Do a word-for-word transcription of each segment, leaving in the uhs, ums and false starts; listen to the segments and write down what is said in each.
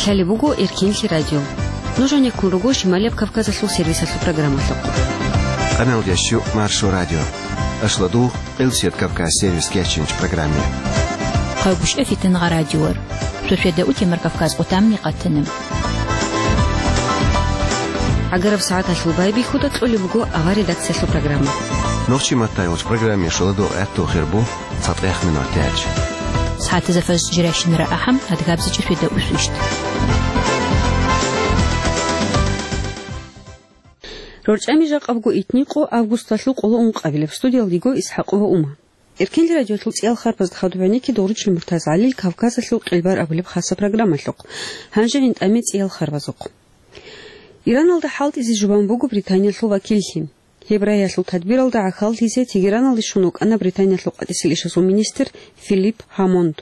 Лъалеб буго Эркенлъи радио. Нуж гьанеккун руго Шималияб Кавказалъул сервисалъул программалъухъ. Къаналдящу Маршо радио. Ашладугъ, Къилсият Кавказ сервис кечинч программе. Хъайгъушъа фитангъа радиор. Шошведа утемар Кавказ къутамни къатана. ГӀагараб сагӀаталъул байбихьуда кьолеб буго авар редакциялъул программа. Нохчи матайулч программе шоладугъ гӀатту хирбу. ЦатӀех минутач. СагӀатазда фажр жирашинара ахӀам, адгабзичӀо шведа усвищ. РорчӀами жакъабго итникъо августалъул къоло ункъабилеб. Студиялдиго Исхакъова Ума. Эркенлъи радиолъул цӀиял харбазда хадуб гӀенекке Дугъручил Муртаз ГӀалил Кавказалъул къилбар абулеб хаса программалъухъ. Гьанже гӀинтӀаме цӀиял харбазухъ. Ираналда хӀалтӀизе жубан буго Британиялъул вакиллъи. Гьеб рагьиялъул тадбиралда гӀахьаллъизе Тегераналде щун вукӀана Британиялъул къватӀисел ишазул министр Филипп Гьамонд.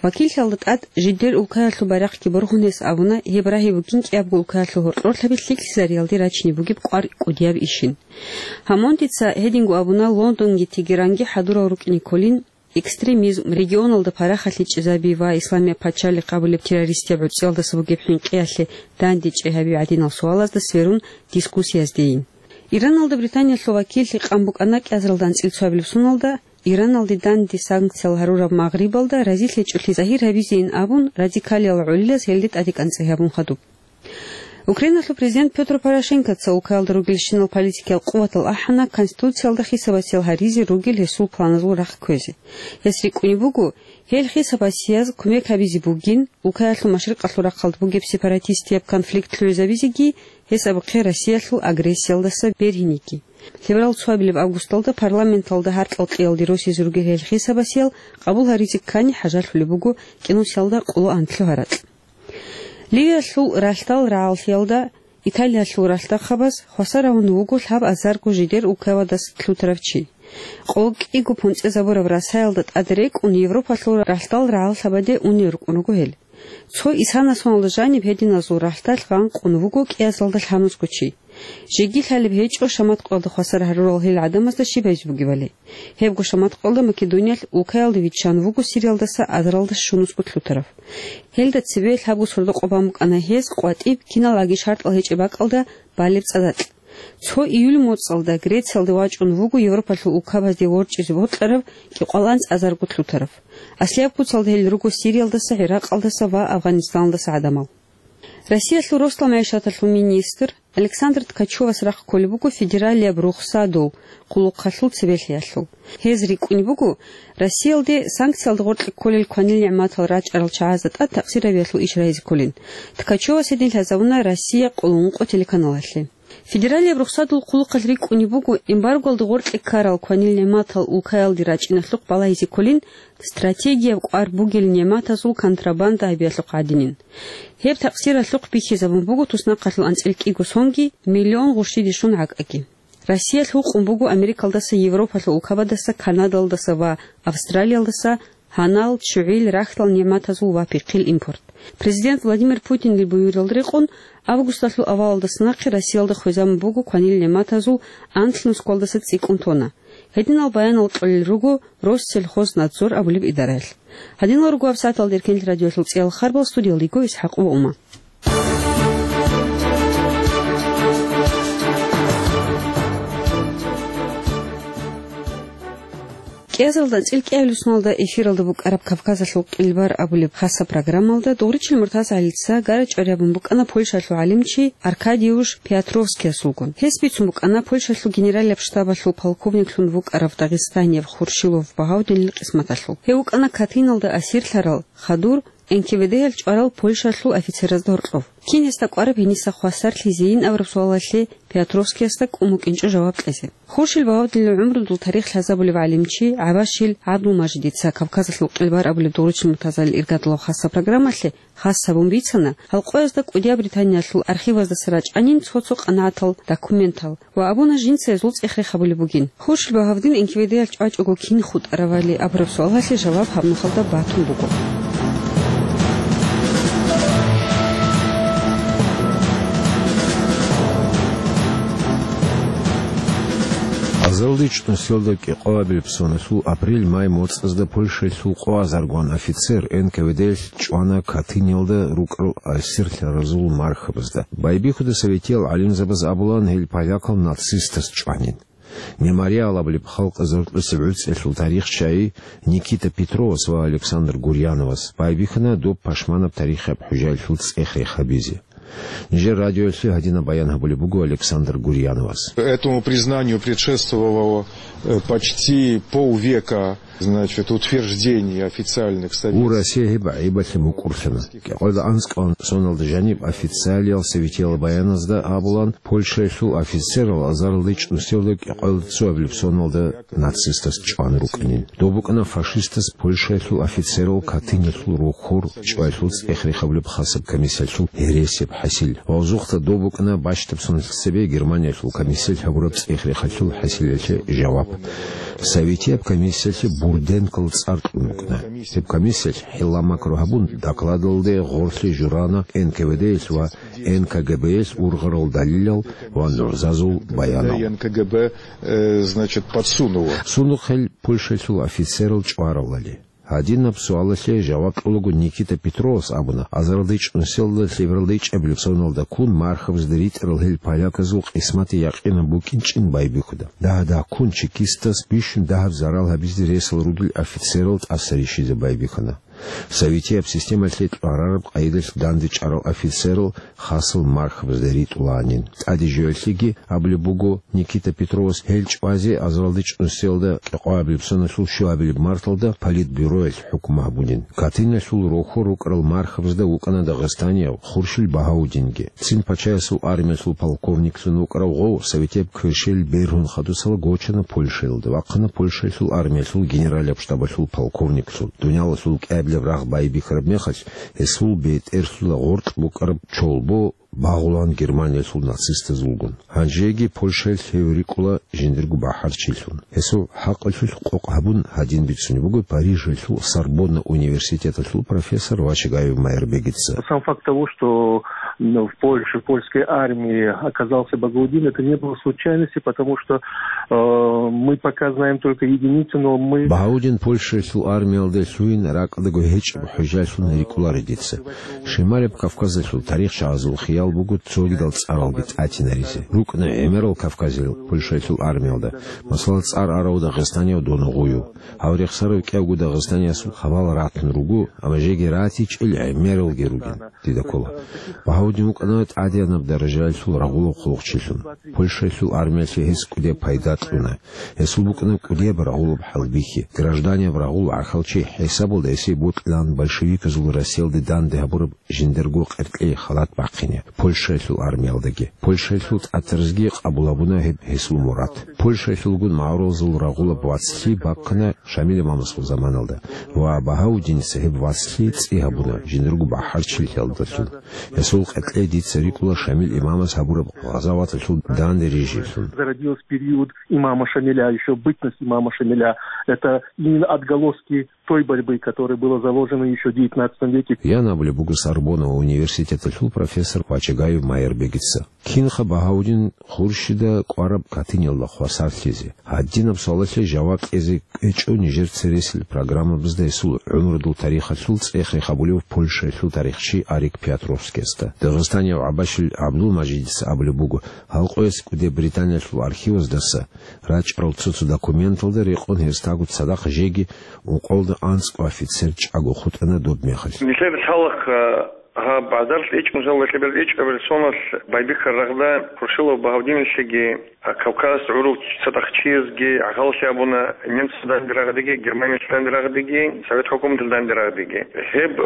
Вакиллъиялда тӀад жидер улкаялъул байрахъги боргьун гьес абуна, гьеб рагьи бугин кӀиябго улкаялъул гьоркьорлъаби лъикӀлъизариялде рачине бугеб къвар кӀудияб ишин. Гьамондица гьединго абуна, Лондонги Тегеранги хӀадурал рукӀине кколин, экстремизм, регионалда парахалъи чӀезаби ва Исламияб пачалихъ абулеб террористияб гӀуцӀиялдаса бугеб хӀинкъиялъе дандечӀей гьаби гӀадинал суалазда сверун дискуссияздейин. Ираналда Британиялъул вакиллъи къан букӀана кӀиазаралда анцӀила цоабилеб соналда, Ираналде данде санкциял гьарураб Магърибалда разилъичӀолъи загьир гьабизейин абун, радикалиял гӀолилаз гьелде тӀаде кӀанцӀи гьабун хадуб. Украиналъул президент Пётр Порошенкоца улкаялда ругелщинал политикиял къуватал ахӀана Конституциялда хисабасиял гьаризе ругел гьесул планазул рахъ кквезе. Гьес рикӀкӀунеб буго, гьел хисабасияз кумек гьабизе бугин, улкаялъул машрикъалъул рахъалда бугеб сепаратистияб конфликт лъугӀизабизеги, гьес абухъе Россиялъул агрессиялдаса бергьинеги. Лъеберал цоабилеб августалда парламенталда гьаркьал кьиялде росизе ругел гьел хисабасиял къабул гьаризе ккани хӀажалъулеб буго кӀинусиялда къоло анлъго гьаракь. Ливиялъул ралъдал рагӀаллъиялда Италиялъул ралъдахъабаз хвасар гьавун вуго лъабазарго жидер улкабадас лъутарав чи. Къо кӀиго понцӀезабураб расаялда тӀад рекӀун Европалъул ралъдал рагӀаллъабаде унел рукӀун руго гьел. Цо исана соналда жаниб гьединазул ралъдалъ гъанкъун вуго кӀиазалда лъабнусго чи. Жеги лъалеб гьечӀо шаматкъоялда хвасар гьарурал гьел гӀадамазда щиб гьабизе бугебали. Гьебго шаматкъоялда Македониялъ улкаялде виччан вуго Сириялдаса азаралда щунусго лъутарав. Гьелда цебе лъабго сордо-къо бан букӀана гьез къватӀиб киналги шартӀал гьечӀеб бакӀалда балеб цӀадакь. Цо июль моцӀалда Грециялде вачӀун вуго Европалъул улкабазде ворчӀизе бокьарав кӀикъоялда анцӀазарго лъутарав. Аслияб куцалда гьел руго Сириялдаса, ГӀиракъалдаса ва Афганистаналдаса гӀадамал. Россиялъул росдал магӀишаталъул министр Александр Ткачевас рахъ кколеб буго федералияб рухсадул хъулухъалъул цебелъиялъул. Гьез рикӀкӀунеб буго, Россиялде санкциялда гъоркье кколел кванил нигӀматал рачӀарал чагӀазда тӀад такъсирабиялъул иш рагьизе кколин. Ткачевас гьедин лъазабуна Россия къоло ункъо телеканалалъе. Федералияб рухсадул хъулухъалъ рикӀкӀунеб буго, эмбаргоялда гъоркье ккарал кванил нигӀматал улкаялде рачӀиналъухъ балагьизе кколин, стратегияб кӀвар бугел нигӀматазул контрабанда гьабиялъухъ гӀадинин. Гьеб такъсиралъухъ бихьизабун буго туснахъалъул анцӀила кӀиго сонги миллион гъурщиде щун гӀакӀаги. Россиялъ гьукъун буго Америкалдаса, Европалъул улкабадаса, Канадалдаса ва Австралиялдаса гьанал, ччугӀил, рахьдал нигӀматазул ва пихъил импорт. Президент Владимир Путинил буюрал рекъон, августалъул авалалдаса нахъе Россиялда хвезабун буго кванил нигӀматазул анлънусгоялдаса цӀикӀкӀун тонна. Гьединал баянал кьолел руго Россельхознадзор абулеб идараялъ. Гьадинал руго гьабсагӀаталда Эркенлъи радиоялъул цӀиял харбал, студиялда йиго Исхакъова Ума. КӀиазалда анцӀила кӀиабилеб соналда эфиралда букӀараб Кавказалъул къилбар абулеб хаса программалда Дугъричил Муртаз ГӀалица гара чӀвари гьабун букӀана Польшалъул гӀалимчи Аркадиуш Пиотровскиясулгун. Гьес бицун букӀана Польшалъул генералияб штабалъул полковниклъун вукӀарав дагъистанияб Хуршилов Багьавдинил къисматалъул. Гьев вукӀана Катыналда асирлъарал хадур НКВД-ял чӀварал Польшалъул офицеразда гьоркьов. Кин гьесда кӀвараб гьениса хвасарлъизейин абураб суалалъе Пиотровскиясда кӀун букӀинчӀо жаваб кьезе. Хуршил Багьавдинил гӀумрудул тарих лъазабулев гӀалимчи ГӀабашил ГӀабдулмажидица Кавказалъул къилбар абулеб Дугъручил Муртаз ГӀалил иргадулаб хаса программалъе хас гьабун бицана, гьал къоязда кӀудияб Британиялъул архиваздаса рачӀанин цо-цо къанагӀатал документал ва абуна жинца гьезул цӀех-рех гьабулеб бугин. Хуршил Багьавдин НКВД-ял чӀвачӀого кин хутӀарав гьали абураб суалалъе жаваб гьаб нухалда батун буго. АзаралдачӀ нусиялда кӀикъоабилеб соналъул апрель-май моцӀазда Польшаялъул къоазаргван офицер Н К В Д-ялъ чӀвана Катыниялда рукӀарал асирлъаразул мархабазда. Байбихьуда советиял гӀалимзабаз абулаан, гьел полякал нацистаз чӀванин. «Мемориал» абулеб халкъ заркьулъеб гӀуцӀиялъул тарихчияй Никита Петровас ва Александр Гурьяновас байбихьана доб пашманаб тарихияб хӀужаялъул цӀех-рех гьабизе. Нижер радиоялъе гьадинаб баян гьабулеб буго Александр Гурьяновас. Этому признанию предшествовало, э, почти полвека, значит, утверждений официальных советских. Гьеб гӀайибалъе мукӀурлъана. КӀикъоялда анцӀкӀалда соналда жаниб официалиял советиял баяназда абулаан, Польшаялъул офицерал азаралдачӀ нусиялда кӀикъоялда цоабилеб соналда нацистаз чӀван рукӀанин. Доб букӀана фашистаз Польшаялъул офицерал Катыниялъул рохьор чӀваялъул цӀех-рех гьабулеб хасаб комиссиялъул гьересияб хӀасил. Ва гъозухъа доб букӀана бащдаб соналъ цебе Германиялъул комиссиялъ гьабураб цӀех-рехалъул хӀасилалъе жаваб. Советияб комиссиялъе Бурденкол цӀар кьун рукӀана. Гьеб комиссиялъ хӀилла-макру гьабун, докладалде гъорлъе журана Н К В Д-ялъ ва Н К Г Б-ялъ ургъарал далилал ва нугӀзазул баянал. Н К Г Б, э, значит, подсунуло. Сундухъ гьел Польшаялъул офицерал чӀваралали. Гьадинаб суалалъе жаваб кьолаго Никита Петровас абуна, азаралдачӀ нусиялда лъебералдачӀабилеб соналда ккун мархабазда ритӀарал гьел поляказул къисматги якъинаб букӀинчӀин байбихьуда. Дагьа-дагьккун чекистас бищун дагьаб зарал гьабизе ресал ругел офицерал тӀаса рищизе байбихьана. Советияб системалъе кьварараб къайдалъ дандечӀарал офицерал хасал мархабазда ритӀулаанин. ТӀаде жоялъеги абулеб буго Никита Петровас, гьел чӀвазе азаралдачӀ нусиялда кӀикъоабилеб соналъул щуабилеб марталда политбюроялъ хӀукму гьабунин. Катыниялъул рохьор рукӀарал мархабазда вукӀана дагъистанияв Хуршил Багьаудинги. Цин пачаясул армиялъул полковниклъун вукӀарав гъов советияб кверщел бергьун хадусала гочана Польшаялда, вахъана Польшаялъул армиялъул генералияб штабалъул полковниклъун. Дуниялалъул кӀиабилеб рагъ байбихьараб мехалъ, гьесул бетӀерлъула гъоркь букӀараб чолбо багъулаан Германиялъул нацистазулгун. Гьанжеги Польшаялъ гьев рикӀкӀула жиндирго бахӀарчилъун. Гьесул хӀакъалъулъ къокъ гьабун, гьадин бицунеб буго Парижалъул Сорбонна университеталъул профессор Вачагаев Майрбегица. Сам факт того, что, м, в Польше, в польской армии оказался Багаудин, это не было случайностью, потому что, э, мы пока знаем только единицы, но мы... Багьаудин Польшаялъул армиялде лъугьин ракӀалдаго гьечӀеб хӀужалъун рикӀкӀунаро дица. Шималияб Кавказалъул тарихчагӀазул хиял буго цогидал цӀаралги тӀатинаризе. РукӀана гӀемерал кавказиял Польшаялъул армиялда, масала, цӀар арав дагъистанияв Доногъуев. Гьав рехсарав кӀиявго дагъистаниясул хабал ратун руго, амма жеги ратичӀел гӀемералги ругин, дида ккола. Багьаудин вукӀана тӀадегӀанаб даражаялъул рагъулаб хъулухъчилъун. Польшаялъул армиялъе гьес кӀудияб пайда кьуна. Гьесул букӀана кӀудияб рагъулаб хӀалбихьи. Гражданияб рагъул гӀахьалчи хӀисабалда гьесие бокьилаан большевиказул Россиялде данде гьабураб жиндирго къеркьей халат бахъине, Польшаялъул армиялдаги. Польшаялъул тӀатаразги къабул гьабуна гьеб гьесул мурад. Польшаялъулгун магӀарулазул рагъулаб вацлъи бахъана Шамил имамасул заманалда ва Багьаудиница гьеб вацлъи цӀи гьабуна жиндирго бахӀарчилъиялдалъун. Гьесул къеркьей дица рикӀкӀула Шамил имамас гьабураб гъазаваталъул данде рижиялъун. Зародилась в период имама Шамиля, ещё бытность имама Шамиля. Это именно отголоски той борьбы, которая была заложена ещё в девятнадцатом веке. Ян абулеб буго Сорбонна университеталъул профессор Вачагаев Майрбегица. Кинха Багьаудин Хуршида кӀвараб Катыниялда хвасарлъизе? Гьадинаб суалалъе жаваб кьезе кӀвечӀо нижер цересел программабазда гьесул гӀумрудул тарихалъул цӀех-рех гьабулев польшаялъул тарихчи Арик Пиотровскиясда. Дагъистанияв ГӀабашил ГӀабдулмажидица абулеб буго, гьал къоялъ кӀудияб Британиялъул архиваздаса рачӀарал цо-цо документалда рекъон гьесдаго цадахъ жеги ункъоялда анцӀго офицер чӀаго хутӀана доб мехалъ. Нилъер лъалахъ, а, гьаб азаралдачӀ нусиялда лъебералдачӀ абилеб соналъ байбихьараб рагъда Хуршилов Багьаудиналъеги, а, Кавказалъ гӀурал цадахъ чиязги гӀахьаллъи гьабуна, немцазда данде рагъадеги, Германиялъ данде рагъадеги, Совет хӀукуматалъ данде рагъадеги. Гьеб, э,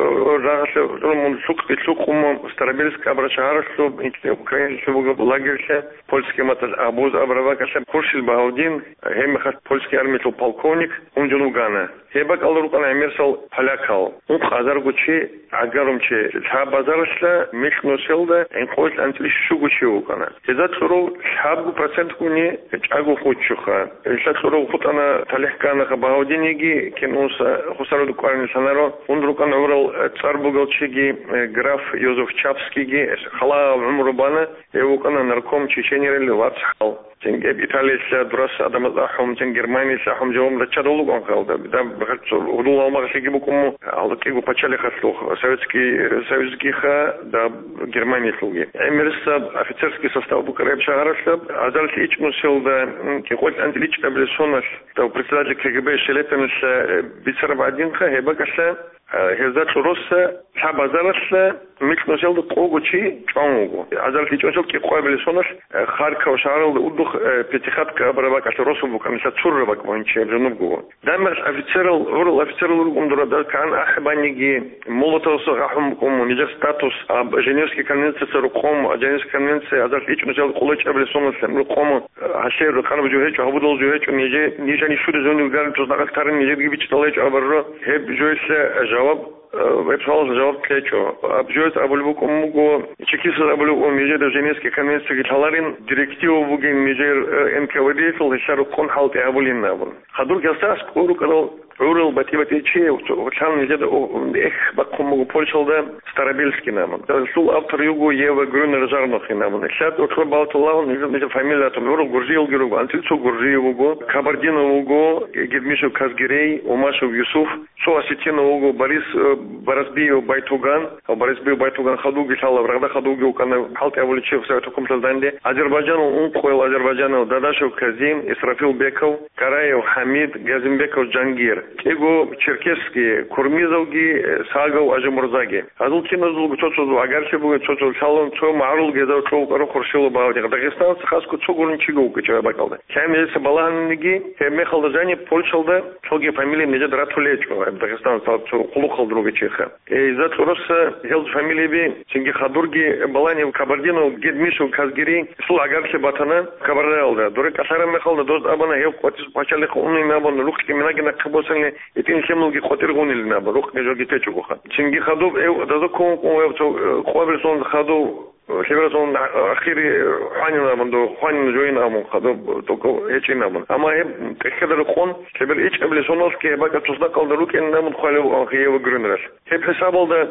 рагъалъе гӀурун мун лъукъги лъукъун мун Старобельск абураб шагьаралъуб, Украиналъуб бугеб лагерьлъа, польский маталъ Обоз абураб бакӀалъа Хуршил Багьаудин, гьеб мехалъ польский армиялъул полковник, унжун вугана. Гьеб бакӀалда рукӀана гӀемерисел полякал. Ункъ азарго чи гӀагарун чи. Лъаб азаралъа микь нусиялда гӀинкъоялъ анцӀила щуго чи вукӀана. Гьезда кьурав лъабго процентгуни чӀаго хутӀчӀоха. Гьелда кьурав хутӀана, талихӀ кканаха Багьаудинги, кин унса Хусаруда кӀварин лъанаро. Унда рукӀана гӀурал цӀар бугел чиги, э, граф Йозеф Чапскийги, халаал гӀумру бана, гьев вукӀана нарком Чеченерил вацгӀал. Цинги гьеб Италиялъа дурас гӀадамаз ахӀун, цин Германиялъа ахӀун жаваб раччарал рукӀун халда. Даб гьеб цо гьудул гьалмагълъиги букӀун мун, гьалкьиго пачалихъалъухъ, Советский Союзгиха, даб Германиялъулги. ГӀемерисеб офицерский состав букӀараб шагьаралъаб, азарилъ ичӀнусиялда, м, кӀикъоялда анцӀила ичӀабилеб соналъ, дав председатель К Г Б Шелепиналъа, э, бицараб гӀадинха, гьеб бакӀалъа, э, гьезда кьуруса лъабазаралъа микьнусиялда къого чи чӀван вуго. Азарилъ ичӀнусиялда кӀикъоябилеб соналъ, э, Харьков шагьаралда удухъ, э, Пятихатка абураб бакӀалъа росулъ букӀана, лъа цурра бакӀ бугьинчи гьеб жо нубго. Дагьмагъ офицерал гьурал офицерал рукӀун дура, дагь кагӀан ахӀи баниги, молотосда гӀахӀун букӀун мун, нижер статус, аб Женевский конвенцияца рукъун, а Женевский конвенция азарилъ ичӀнусиялда къоло ичӀабилеб соналъ рукъун, гьалъе рукъанаб жо гьечӀо, гьабудал жо гьечӀо, нижер, нижани щури зунил гарин туснакъалъ тарин нижерги бичӀчӀала гьечӀо абураб жо. Гьеб жоялъе жаваб, э, гьеб суалалъе жаваб кьечӀо. Аб жоялъ абулеб букӀун буго, чекистаз абулеб букӀун, нижер Женевский конвенцияги лъаларин, директива бугин нижер, э, Н К В Д-ялъул, гьелъа рукъун хӀалтӀи гьабулин абун. Хадурги гьасда аскӀор рукӀарал гӀурал батӀи-батӀи чи, гьелъан нижеда, о, эх бахъун буго Польшалда Старобельский абун. Гьелъул автор йиго Ева Грюнер-Жарнохин абун. Лъад гьоркьоб балтулагьун нижер, нижер фамилиятун гӀурал гуржиялги руго, анцӀила цо гуржияв вуго, Кабардинов вуго, Гедмишев Казгерей, Умашев Юсуф, цо осетинав вуго Борис, э, Барасбиев Байтуган, Барасбиев Байтуган хадуги лъалаб, рагъда хадуги вукӀана, хӀалтӀи гьабулев чи Совет хӀукуматалда данде. Азербайджанал ункъоял азербайджанал Дадашев Казим, Исрафил Беков, Караев ХӀамид, Газимбеков Жангир, кӀиго черкесский, Курмизовги, Сагов Ажимурзаги. Гьазул киназулго цо-цо агарчи бугин, цо-цо лъалун, цо магӀарул гьезда кьов вукӀарун Хуршилов Багьавдин. Дагъистаналъ хасго цо гурун чиго вукӀинчӀо гьеб бакӀалда. Лъай гьезда балагьаниги, гьеб мехалда жани Польшалда цоги фамилия нижеда ратулечӀо, гьеб Дагъистаналъ цо къулухъалда ругел чиха. Э, гьезда кьуруса гьел фамилияби, цинги хадурги балани Кабардинов, Гедмишев, Казгерей, гьесул агарчи батана Кабардиналда. Дуре кӀалъараб мехалда доз абуна гьев къватӀир пачалихъ унин абун, рукъги минаги нахъе босани, гьитӀин лъималги къватӀир гъунилин абун, рукъги жоги течӀого ха. Цинги хадуб гьев даза ккун вукӀун гьев цо, э, къвабилсун хадуб, э, лъебералъун ахири хванин абун, до хванин жойин абун хадуб, только гьечӀин абун. Амма гьеб тӀехьеда рекъон, лъебер ичӀабилеб соналъги гьеб бакӀа туснакъалда рукӀинин абун хвалев Ева Грюнералъ. Гьеб хӀисабалда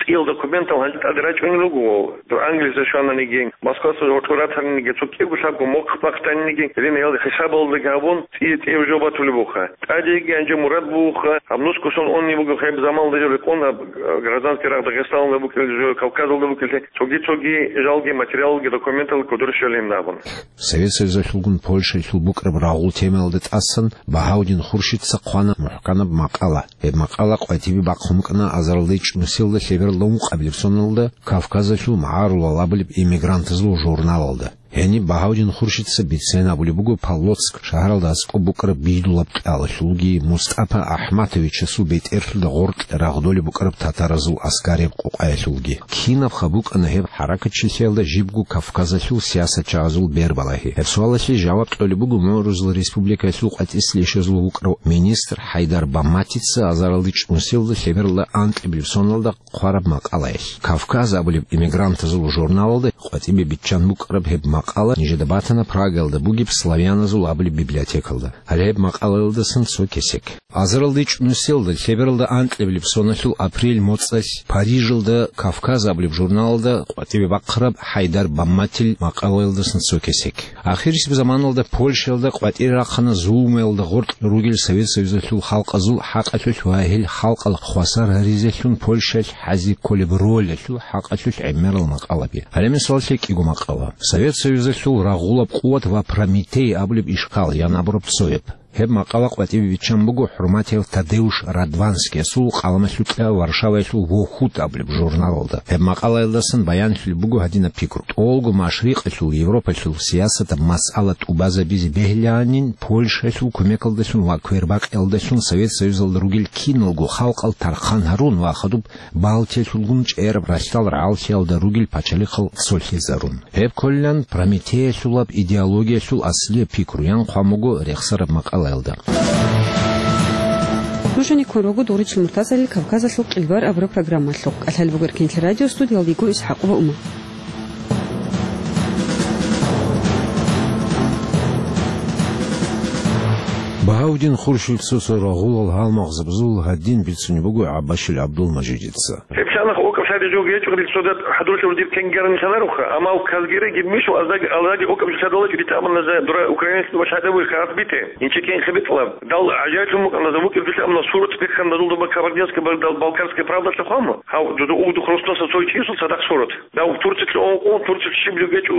цӀиял документал гьанже тӀаде рачӀунел руго, дур Англиялъе щвананиги, Москваялъ гьоркьор ратаниги, цо кӀиго лъабго мохъ бахъ таниги, гьединал хӀисабалдаги гьабун, цӀия-цӀияб жо батулеб буха. ТӀадеги гьанже мурад бугоха, гьаб нусго сон унеб буго гьеб заманалда жо рекъон, гьаб, э, гражданский рагъ Дагъистаналда букӀин жо, Кавказалда букӀинлъи, цоги-цоги жалги материалги документал кодор щолин абун. Совет Союзалъулгун Польшаялъул букӀараб рагъул темаялда тӀасан Багьавдин Хуршидца хъвана мухӀканаб макъала. Гьеб макъала къватӀибе бахъун букӀана азарилда ичӀнусиялда лъебералда ункъабилеб соналда Кавказалъул магӀарулал абулеб эмигрантазул журналалда. Гьениб Багьавдин Хуршидца бицен абулеб буго Полоцк шагьаралда аскӀоб букӀараб Бидулаб кьалалъулги МустӀапа АхӀматовичасул бетӀерлъуда гъоркь рагъдолеб букӀараб татаразул аскарияб къокъаялъулги. Кинабха букӀана гьеб хӀаракатчилъиялда жибго Кавказалъул сиясатчагӀазул бербалагьи? Гьеб суалалъе жаваб кьолеб буго МугӀрузул республикаялъул къватӀислъи ишазул вукӀарав министр ХӀайдар Бамматица азарилда ичӀнусиялда лъебералда анкьабилеб соналда хъвараб макъалаялъ. «Кавказ» абулеб эмигрантазул журналалда къватӀибе биччан букӀараб гьеб макъала нижеда батана Прагаялда бугеб славяназул абулеб библиотекалда. Гьале гьеб макъалаялдасан цо кесек. Азарилда ичӀнусиялда лъебералда анкьабилеб соналъул апрель моцӀалъ Парижалда «Кавказ» абулеб журналалда къватӀибе бахъараб ХӀайдар Бамматил макъалаялдасан цо кесек. Ахирисеб заманалда Польшаялда къватӀире рахъана зулмуялда гъоркь ругел Совет Союзалъул халкъазул хӀакъалъулъ ва гьел халкъал хвасар гьаризелъун Польшаялъ хӀазе кколеб ролалъул хӀакъалъулъ гӀемерал макъалаби. Гьале мисаллъи кӀиго макъала. Совет Союзалъул рагъулаб къуват ва Прометей абулеб ишкал ян абураб цояб. Гьеб макъала къватӀибе биччан буго хӀурматияв Тадеуш Радванскиясул къаламалъукьа Варшаваялъул «Вохут» абулеб журналалда. Гьеб макъалаялдасан баянлъулеб буго гьадинаб пикру: тӀолго машрикъалъул, Европалъул сиясатаб масъала тӀубазабизе бегьилаанин Польшаялъул кумекалдалъун ва квербакъиялдалъун Совет Союзалда ругел киналго халкъал тархъан гьарун ва хадуб Балтиялъулгун чӀераб ралъдал рагӀаллъиялда ругел пачалихъал цолъизарун. Гьеб кколилан Прометеялъулаб идеологиялъул аслияб пикру ян хъван буго рехсараб макъалаялда. Нуж гьаниб ккун руго Дугъричил МуртазагӀалил «Кавказалъул къилбар» абураб программалъухъ. КӀалъалеб буго Эркенлъи радио, студиялда йиго ИсхӀакъова Ума. Багьавдин Хуршидца цо рагъулал гьалмагъзабазул гьадин бицунеб буго ГӀаббашил ГӀабдулмажидица. Гьеб лъанахъ окӀа Жо гьечӀо, риццода хӀадурлъур дир кенгерни лъанаруха, амма казгереги мишо аздаги, аздаги окӀаб лъадалачӀо дита аманаза дура украинец дуба лъадавуй харат бите. Инче кенхи битӀлаб. Дал гӀажаиблъун букӀаназа вукӀир дита амана сурат биххандазул дуба кабардинская, бал-, дал балкарская правда лъухъама. Гьав, дуда угдух росноса цой чисул цадахъ сурат. Дав Турциялъ ун къун, Турциялъ щиб жо гьечӀо,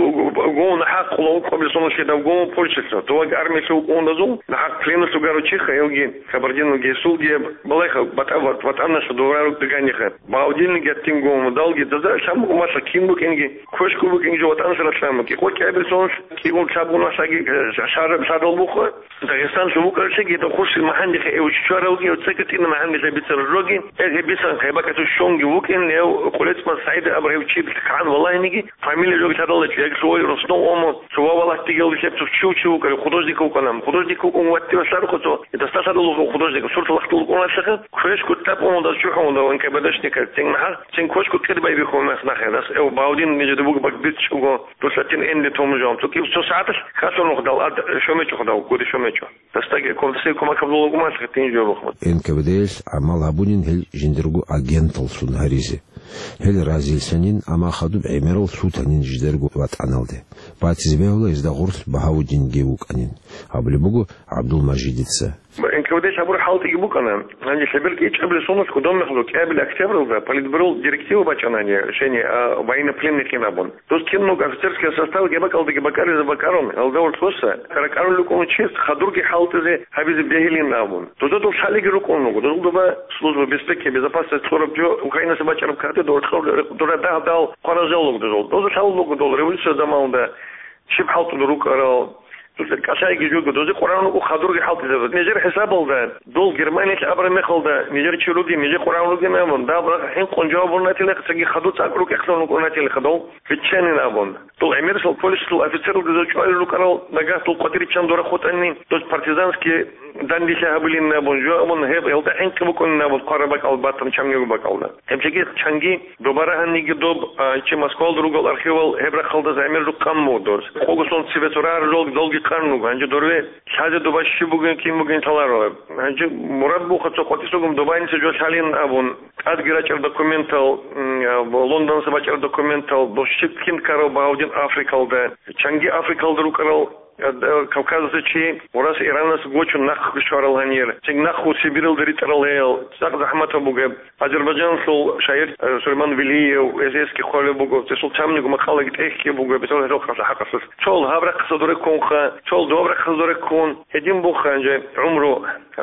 гов нахӀахъ къулав къоблъи соналъе дав гов Польшалъа. Туваг армиялъув къундазул, нахӀахъ пленалъув гару чиха, гьевги, кабардинуги, гьесулги, балайха, батӀа-, ват-, ватӀанасда доврару дигайниха. Бавдин геттин гов, далги, даза лъамуг малъа кин букӀинги, квешку букӀинги жо ватӀанас ралъаму, кӀикъо кӀабил соналъ, кӀигъун лъабгун васаги, э, шараб лъадал буха. Дагъистанлъун вукӀарчиги, дов хурсил махӀандихъе эвччваравги, цӀекӀ тӀина махӀандилъа бицарав жоги, эгье бисан хъайбакӀалъув щонги вукӀин, гьев Къулецман СагӀид абурав чи кагӀан валагьиниги, фамилия жоги лъадалачӀо, яги лъугьай росдов омо, цо ва валатти гьелги лъебцев чи вукӀарав, художник вукӀана. Художник вукӀун ватти васарухъо цо, дастасадулухъ художник, сурт лахтул вукӀуналъаха, квешку тӀад омо даз чухӀун дав НКВДшника, цин махӀа, цин квешку кӀирбай бихьун мехнахъе, дас эв Бавдин нижеда бугеб бакӀ бицӀчӀого, дулъатин энде тому жо. Цо кив цо сагӀаталъ хасун нухдал ад шомечӀо худав, гуди шомечӀо. Дастаги комсей кумакаб лугумалъ гьитин жо бухъун. НКВД-ялъ гӀамал гьабунин гьел жиндирго агенталлъун гьаризе. Гьел разилъанин, амма хадуб гӀемерал лъутанин жидерго ватӀаналде. Батизе бегьула гьезда гъорлъ Багьавудинги вукӀанин, абулеб буго ГӀабдулмажидица. НКВД-лъ гьабур хӀалтӀиги букӀана. Гьанже лъеберги ичӀабилеб соналъ кодомехалъ кӀиабилеб октябралда Политбюрол директива бачӀана гьанже, решение, а, военнопленныйхъин абун. Дос киналго офицерская составги бакӀалдаги бакӀаризе бакӀарун, гьалда ворхоса ракӀарулел рукӀун чияс хадурги хӀалтӀизе гьабизе бегьилин абун. Дозда дол лъалиги рукӀун руго. Дозул доба служба безпеки, безопасность кьураб жо Украинаса бачӀараб кагътида дора дагь-дагь хъваражал руго дозул. Доза лъалел руго дол революция заманалда щиб хӀалтӀулел рукӀарал. Дозда кӀалъайги жого, дозе къваригӀун руго хадурги хӀалтӀизабаз. Нижер хӀисабалда, дол Германиялъ абураб мехалда, нижер чи ругин, нижер къваригӀун ругин абун, дагь-дагь хӀинкъун жаваб гьабунатилаха, цинги хадур цӀакъ рукӀехъан рукӀунатилаха дол. Биччанин абун. Дол гӀемерисел Польшалъул офицералги доза чӀвалел рукӀарал, нагагь дол къватӀир риччан дора хутӀанин, дос партизанский дандилъи гьабулин абун, жо абун, гьеб гьелда хӀинкъи букӀунин абун, хъвараб бакӀал батун чамниго бакӀалда. Гьеб чеги чанги доба рагьаниги доб, а, чи Москвалда ругел архивал гьеб рахъалда замир жукъан мугъ дос. Къого сон цебе цо рагьарал долги къан руго, гьанже дорве лъазе доба щиб бугин, кин бугин лъаларо. Гьанже мурад буха цо къватӀисагун добайниса жо лъалин абун. ТӀадги рачӀар документал, м, а, Лондонса бачӀар документал, дос щиб кин ккарав Багьавдин Африкалда, чанги Африкалда рукӀарал, а, д-, Кавказалъа чи Урас Иранас гочун нахъ щварал гьанир, цин нахъ Сибиралда ритӀарал гьел, цӀакъ захӀматаб бугеб. Азербайджаналъул шагьир, а, Сулейман Велиев, эс-эсги хъвалеб буго, цесул чамниго макъалаги тӀехьги буго, бетӀер гьел хъалъа хӀакъалъулъ. Цол гьаб рахъаса дуреккунха, цол доб рахъаса дуреккун, гьедин буха гьанже гӀумру.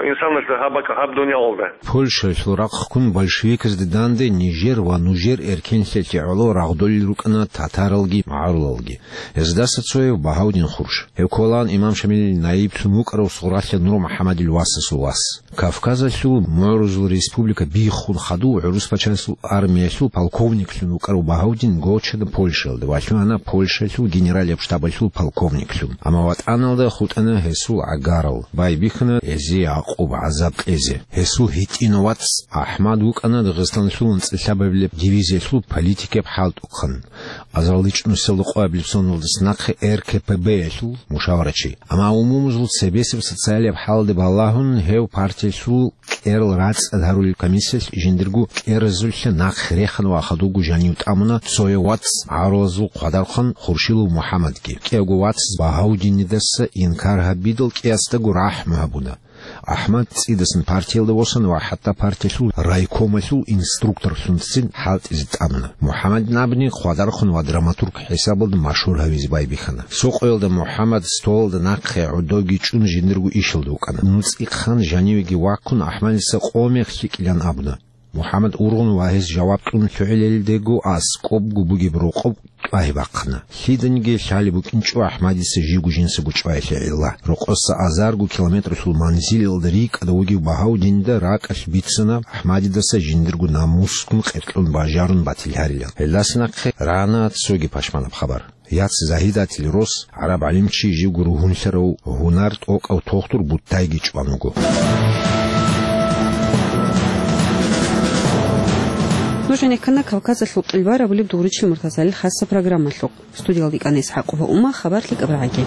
Инсанас гьаб бакӀ гьаб дуниялалда. Польшаялъул рахъ ккун большевиказде данде нижер ва нужер эркенлъиялъе гӀоло рагъдолел рукӀана татаралги магӀарулалги. Гьездаса цояв Багьавдин Хурш. Гьев кколаан имам Шамилил наиблъун вукӀарав Сугъралъа Нур МухӀаммадил васасул вас. Кавказалъул мугӀрузул республика биххун хадув гӀурус пачалъул армиялъул полковниклъун вукӀарав Багьавдин гочана Польшаялда ва лъугьана Польшаялъул генералияб штабалъул полковниклъун. Амма ватӀаналда хутӀана гьесул гӀагарал, байбихьана гьезие гӀакъуба, гӀазаб кьезе. Гьесул гьитӀинав вац АхӀмад вукӀана Дагъистаналъул анцӀила лъабабилеб дивизиялъул политикияб хӀалтӀухъан, азарилчӀунусиялда къоабилеб соналдаса нахъе РКПБ-ялъул мушаварачи. Амма умумузул цебесеб социалияб хӀалде балагьун гьев партиялъул кӀерал рацӀцӀад гьарулел комиссиялъ жиндирго кӀеразулъа нахъе рехана ва хадубго жанив тӀамуна цояв вац гӀарулазул хъвадархъан Хуршилов МухӀаммадги. КӀиявго вацаз Багьавдинидаса инкар гьабидал кӀиясдаго рахӀму гьабуна. АхӀмад цӀидасан партиялда восана ва хӀатта партиялъул райкомалъул инструкторлъунцин хӀалтӀизе тӀамуна. МухӀаммадин абни хъвадархъун ва драматург хӀисабалда машгьур гьавизе байбихьана. Сокъоялда МухӀаммад столалда нахъе гӀодовги чӀун жиндирго ишалда вукӀана. НуцӀихъан жанивеги ваккун АхӀмадица къо мех лъикӀилан абуна. МухӀаммад ургъун ва гьес жаваб кьун лъугӀилелдего аскӀобго бугеб рокъоб тӀвагьи бахъана. Лъиданиги лъалеб букӀинчӀо АхӀмадица живго жинсаго чӀваялъе гӀилла. Рокъоса азарго километралъул манзилалда рикӀкӀада вугев Багьавдинда ракӀалъ бицана АхӀмадидаса жиндирго намускун къеркьун бажарун батил гьарилан. Гьелдаса нахъе рана цоги пашманаб хабар. Яц Загьидатил рос, гӀараб гӀалимчи, живго ругьунлъарав гьунар тӀокӀав тохтур Буттайги чӀван вуго. Нуж гӀенеккана Кавказалъул кьилбар абулеб дугӀручил муртазалил хасса программалъухъ. Студиялда икӀана ИсхӀакъова Ума, хабар лъикӀаб рагӀаги.